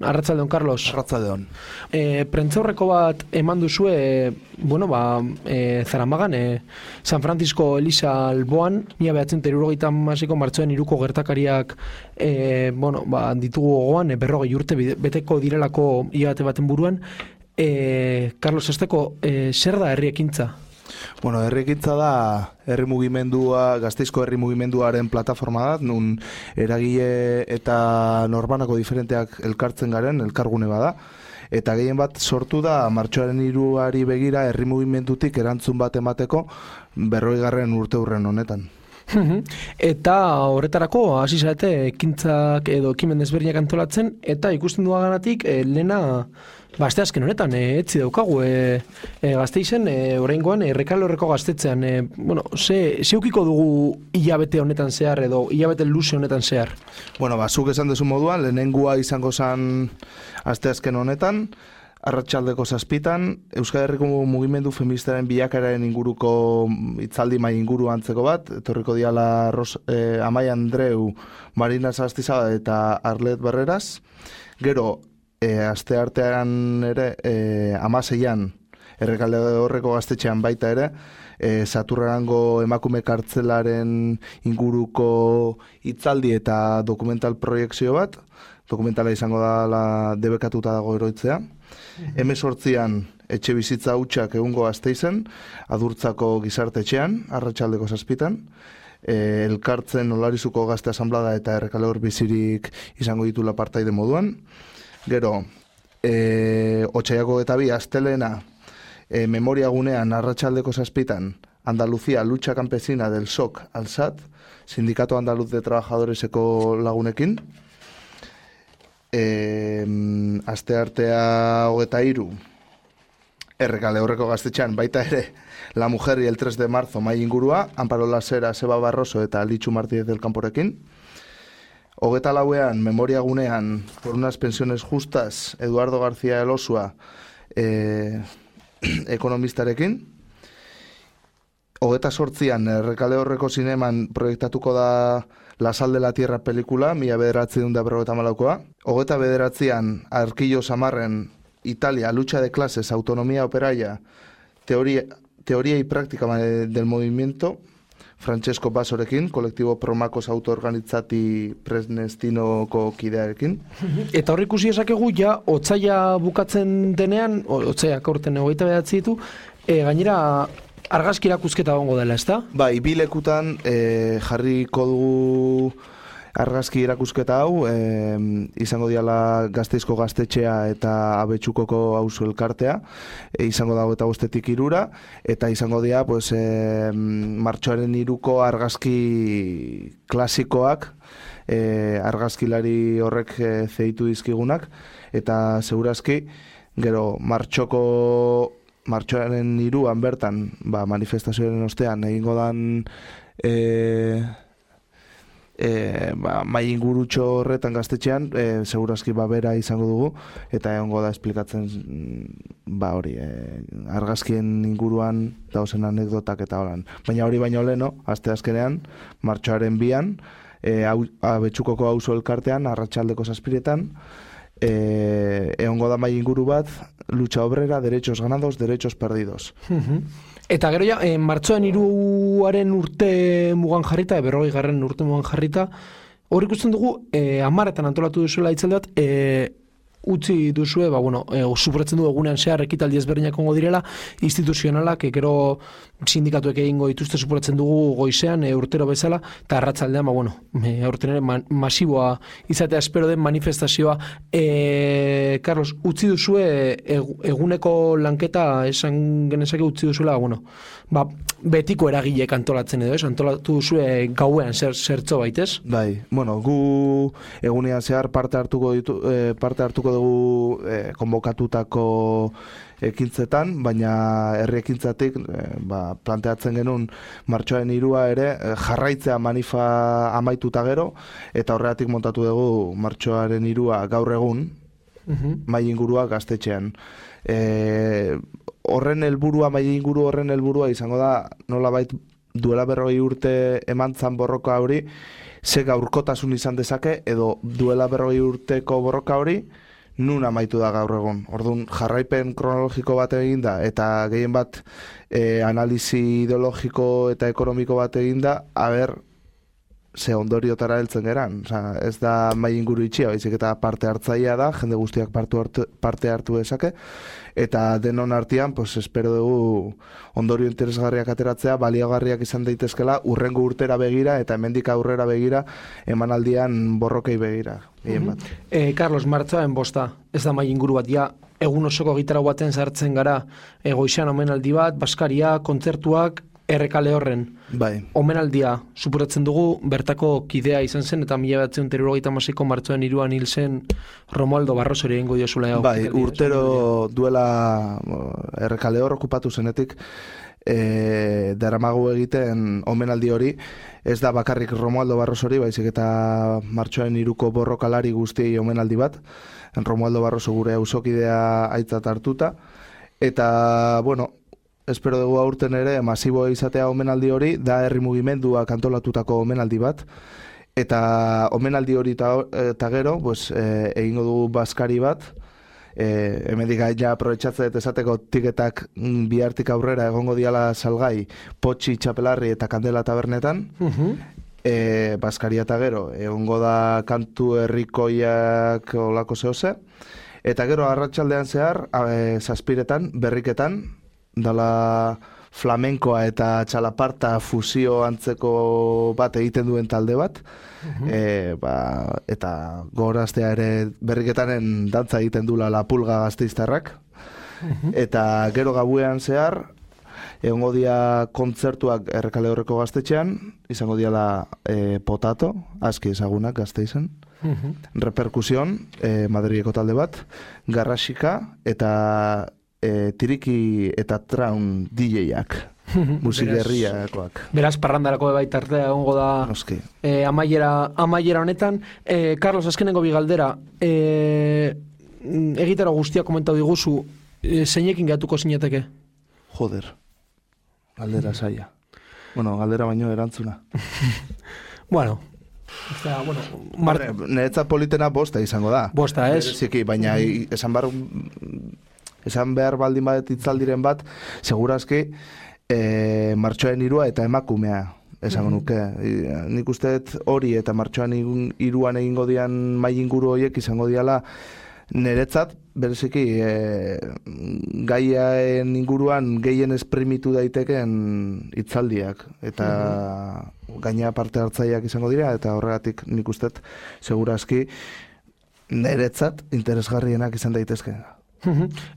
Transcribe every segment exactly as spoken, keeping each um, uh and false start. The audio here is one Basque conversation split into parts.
Arratsaldeon, Carlos. Arratsaldeon. E, prentzaurreko bat eman duzue, e, bueno, ba, e, Zaramagan, e, San Francisco Eliza alboan, mila behatzen eta hirurogeita hamaseiko martxoaren hiruko gertakariak e, bueno, ba, ditugu gogoan, e, berrogei urte beteko direlako hilabete baten buruan. E, Carlos, azteko, e, zer da herri ekintza? Bueno, herri ekintza da herri mugimendua, Gasteizko herri mugimenduaren plataforma da, nun eragile eta norbanako diferenteak elkartzen garen, elkargune bada. Eta gehien bat sortu da martxoaren hiruari begira herri mugimendutik erantzun bat emateko berrogeigarren urte hurren honetan. Eta horretarako hasi zarete ekintzak edo ekimen desberdinak antolatzen, eta ikusten duaganatik e, lehena ba, aste azken honetan, e, etzi daukagu e, e, Gasteizen, e, oraingoan e, Errekale Horreko gaztetzean, e, bueno, ze, zeukiko dugu hilabete honetan zehar edo hilabete luze honetan zehar? Bueno, ba, zuk esan dezu moduan, lehenengua izango zen aste azken honetan, arratsaldeko zazpitan, Euskal Herriko mugimendu feministaren bilakaeraren inguruko hitzaldi mai inguru antzeko bat, etorriko diala Ros, eh, Amai Andreu, Marina Zastizada eta Arlet Barreras. Gero, eh, aste artean ere, eh, amaseian, Errekale Horreko gaztetxean baita ere, eh, Saturrarango emakume kartzelaren inguruko hitzaldi eta dokumental proiekzio bat, dokumentala izango da la debekatuta dago eroitzea. Hemezortzian etxe bizitza hutsak egungo Gasteizen, Adurtzako gizartetxean, arratsaldeko zazpitan, e, elkartzen Olarizuko Gazte Asanblada eta Errekale Hor bizirik izango ditula partaide moduan. Gero, e, Otsaiako eta bi astelena e, memoria gunean arratsaldeko zazpitan, Andaluzia Lucha Campesina del S O C Alsat, Sindikato Andaluz de Trabajadoreseko lagunekin. E, aste artea hogeta hiru Errekale Horreko gaztetxean baita ere La Mujer y el tres de marzo mai ingurua, Amparo Lasera, Seba Barroso eta Litxu Martínez del Camporekin. Hogeta lauean memoria gunean por unas pensiones justas Eduardo García Elosua e, ekonomistarekin. Hogeta sortzian Errekale Horreko zineman proiektatuko da La Sal de la Tierra pelikula, mila bederatziehun eta berrogeita hamalaukoa. Hogeta bederatzian Arquillo Samarren Italia, Lucha de Clases, Autonomía Operaia, Teoría, teoría y Práctica del Movimiento, Francesco Basorekin, kolektibo Promakos autoorganitzati Presnestinoko kidearekin. Eta hor ikusi esakegu, ja, otsaila bukatzen denean, otsaiak aurten hogeita bederatzi ditu, e, gainera argazki erakusketa egongo dela, ezta? Bai, bi lekutan e, jarriko dugu argazki erakusketa hau, e, izango diala Gasteizko gaztetxea eta Abetsukoko auzo elkartea, e, izango dago eta bostetik irura, eta izango dia pues, e, martxoaren hiruko argazki klasikoak, e, argazkilari horrek e, zeitu dizkigunak, eta segurazki, gero martxoko martxoaren hiruan bertan, ba, manifestazioaren ostean, egingo dan e, e, ba, mai ingurutxo horretan gaztetxean, e, segurazki ba, bera izango dugu, eta egongo da esplikatzen ba, hori, e, argazkien inguruan dauzen anekdotak eta holan. Baina hori baino leno, aste azkenean, martxoaren bian, e, Abetsukoko auzo elkartean, arratsaldeko zazpiretan, E, egongo da mai inguru bat, lucha obrera, derechos ganados, derechos perdidos. Eta gero ja, e, martxoan hiruaren urte mugan jarrita, berrogei garren urte mugan jarrita, hor ikusten dugu, e, amaretan antolatu duzuela hitzaldi bat, e, utzi duzue, ba, bueno, e, suporatzen du egunean zehar ekitaldi ezberdinak ongo direla, instituzionalak, e, gero sindikatuek egingo dituzte suporatzen dugu goizean, e, urtero bezala, eta arratsaldean, ba, bueno, e, aurten ere man, masiboa izatea espero den manifestazioa. E, Carlos, utzi duzue e, eguneko lanketa esan genezake utzi duzuela, bueno, ba, betiko eragilek antolatzen edo, ez? Antolatu duzue gauean zer, zertzo baitez? Bai, bueno, gu egunean zehar parte hartuko ditu, eh, parte hartuko dugu eh, konbokatutako ekintzetan, baina herri ekintzatik eh, ba, planteatzen genuen martxoaren hirua ere eh, jarraitzea manifa amaituta gero, eta horregatik montatu dugu martxoaren hirua gaur egun, uh-huh. mai ingurua gaztetxean. E, horren helburua, mai inguru horren helburua izango da, nolabait duela berrogei urte emantzan borroka hori, ze gaurkotasun izan dezake, edo duela berrogei urteko borroka hori, nun amaitu da gaur egun. Orduan, jarraipen kronologiko bat egin da, eta gehien bat e, analizi ideologiko eta ekonomiko bat egin da, haber, ze ondoriotara heltzen geran. Osa, ez da mai inguru itxia, baizik eta parte hartzailea da, jende guztiak partu hartu, parte hartu dezake, eta denon artean, pues, espero dugu ondorio interesgarriak ateratzea, baliagarriak izan daitezkela, urrengo urtera begira, eta hemendik aurrera begira, emanaldian borrokei begira. Mm -hmm. e, Carlos, martxoaren bosta, ez da mai inguru bat, ja, egun osoko gitarra baten sartzen gara, e, goixean omenaldi bat, baskaria, kontzertuak, errekale horren. Bai. Omenaldia, supuratzen dugu, bertako kidea izan zen, eta mila batzen terrogeita hamaseiko martxoaren hiruan hil zen Romualdo Barrosori egingo diozula. Bai, urtero duela errekale hor okupatu zenetik, e, daramagu egiten omenaldi hori, ez da bakarrik Romualdo Barrosori, baizik eta martxoaren hiruko borrokalari guztiei omenaldi bat, Romualdo Barroso gure auzokidea aitzat hartuta, eta, bueno, espero dugu aurten ere masibo izatea omenaldi hori, da herri mugimenduak antolatutako omenaldi bat, eta omenaldi hori eta gero, pues, e, egingo dugu baskari bat, e, hemendik ja aprobetxatzen eta esateko tiketak bihartik aurrera egongo diala salgai, Potxi, Txapelarri eta Kandela tabernetan, uh-huh. e, baskaria eta gero, egongo da kantu herrikoiak olako zehose, eta gero arratsaldean zehar, e, zazpiretan, berriketan, dala flamenkoa eta txalaparta fusio antzeko bat egiten duen talde bat, uh-huh. e, ba, eta gogoraztea ere berriketanen dantza egiten dula La Pulga Gasteiztarrak, uh-huh. eta gero gabuean zehar, egongo dia kontzertuak Errekale Horreko Gaztetxean, izango diala e, Potato, aski ezagunak Gasteizen, uh-huh. Reperkusion, e, Madrileko talde bat, Garrasika, eta E, tiriki eta traun D J-ak, musikerriakoak. Beraz, parrandarako baita artea egongo da e, amaiera, amaiera honetan. E, Carlos, azkenengo bigaldera, e, egitera guztia komentau diguzu, e, zeinekin gatuko zinateke? Joder, galdera saia. Bueno, galdera baino erantzuna. Bueno, o sea, bueno, Mar... Neretzat politena bosta izango da. Bosta, ez? Ziki, baina mm-hmm. esan bar... Esan behar baldin badet itzaldiren bat, segurazki e, martxoaren hirua eta emakumea esango nuke. Mm-hmm. Nik usteet hori eta martxoaren hiruan egingo dian mai inguru horiek izango diala niretzat, bereziki e, gaiaen inguruan gehien esprimitu daiteken itzaldiak. Eta mm-hmm. gaina parte hartzaileak izango dira, eta horregatik nik usteet segurazki niretzat interesgarrienak izan daitezke.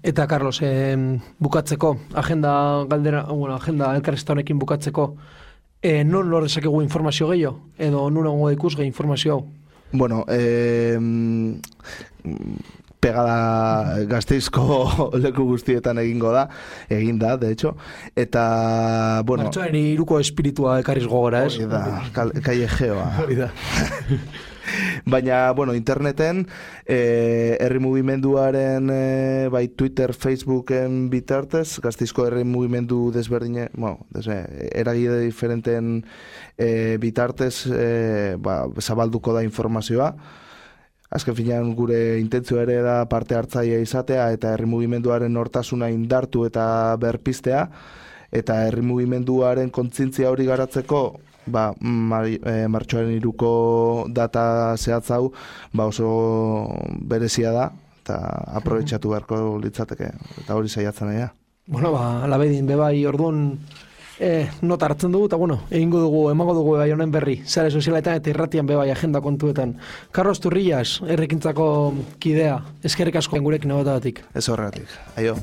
Eta, Carlos, eh, bukatzeko, agenda galdera, bueno, agenda elkarrizketa honekin bukatzeko, eh, non lor dezakegu informazio gehiago? Edo nun egongo ikusgai informazio hau? Bueno, eh, pegada Gasteizko leku guztietan egingo da, egin da, de hecho, eta, bueno... Martxoaren hiruko espiritua ekarriz gogora, ez? Hori da, kallejeoa. Hori da. Baina, bueno, interneten, eh, herri mugimenduaren, eh, bai Twitter, Facebooken bitartez, Gasteizko herri mugimendu desberdine, bueno, desbe, eragide diferenten eh, bitartez, eh, ba, zabalduko da informazioa. Azken finean gure intentzio ere da parte hartzailea izatea eta herri mugimenduaren nortasuna indartu eta berpiztea, eta herri mugimenduaren kontzientzia hori garatzeko ba, mar, e, martxoaren hiruko data zehatz hau ba oso berezia da, eta aprobetxatu beharko litzateke, eta hori saiatzen nahi da. Bueno, ba, alabedin, bebai, orduan eh, nota hartzen dugu, eta bueno, egingo dugu, emango dugu bebai honen berri, zare sozialetan eta irratian bebai agenda kontuetan. Carlos Turrillas, errekintzako kidea, eskerrik asko gurekin egotagatik. Ez horregatik, aio.